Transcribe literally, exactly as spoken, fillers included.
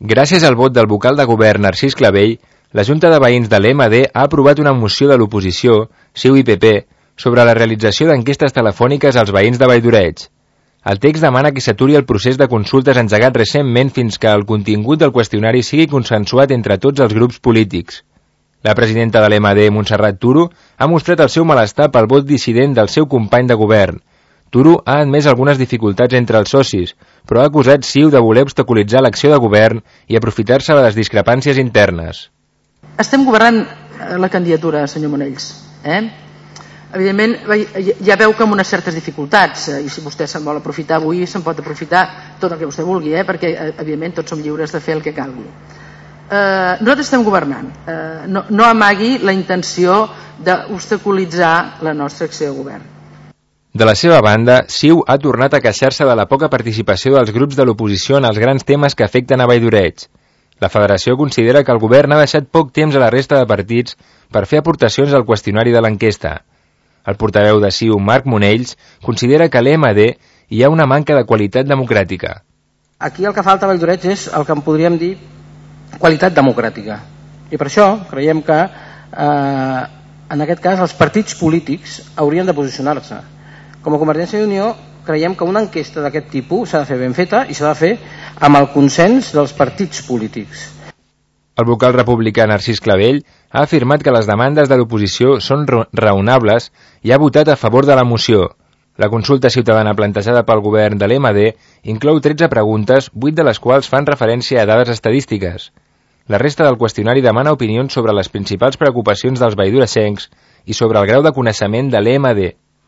Gràcies al vot del vocal de govern Narcís Clavell, la Junta de Veïns de l'E M D ha aprovat una moció de l'oposició, C I U i P P, sobre la realització d'enquestes telefòniques als veïns de Valldoreig. El text demana que s'aturi el procés de consultes engegat recentment fins que el contingut del qüestionari sigui consensuat entre tots els grups polítics. La presidenta de l'E M D, Montserrat Turo, ha mostrat el seu malestar pel vot dissident del seu company de govern. Turo ha admès algunes dificultats entre els socis, però ha acusat C I U de voler obstaculitzar l'acció de govern i aprofitar-se de les discrepàncies internes. Estem governant la candidatura, senyor Monells. Eh? Evidentment, ja veu que amb unes certes dificultats, i si vostè se'n vol aprofitar avui, se'n pot aprofitar tot el que vostè vulgui, eh? perquè, evidentment, tots som lliures de fer el que calgui. Eh, nosaltres estem governant. Eh, no, no amagui la intenció d'obstaculitzar la nostra acció de govern. De la seva banda, C I U ha tornat a queixar-se de la poca participació dels grups de l'oposició en els grans temes que afecten a Valldoreig. La federació considera que el govern ha deixat poc temps a la resta de partits per fer aportacions al qüestionari de l'enquesta. El portaveu de C I U, Marc Monells, considera que a l'E M D hi ha una manca de qualitat democràtica. Aquí el que falta a Valldoreig és el que en podríem dir qualitat democràtica. I per això creiem que eh, en aquest cas els partits polítics haurien de posicionar-se. Com a Convergència i Unió creiem que una enquesta d'aquest tipus s'ha de fer ben feta i s'ha de fer amb el consens dels partits polítics. El vocal republicà Narcís Clavell ha afirmat que les demandes de l'oposició són raonables i ha votat a favor de la moció. La consulta ciutadana plantejada pel govern de l'E M D inclou tretze preguntes, vuit de les quals fan referència a dades estadístiques. La resta del qüestionari demana opinions sobre les principals preocupacions dels valldoreixencs i sobre el grau de coneixement de l'E M D.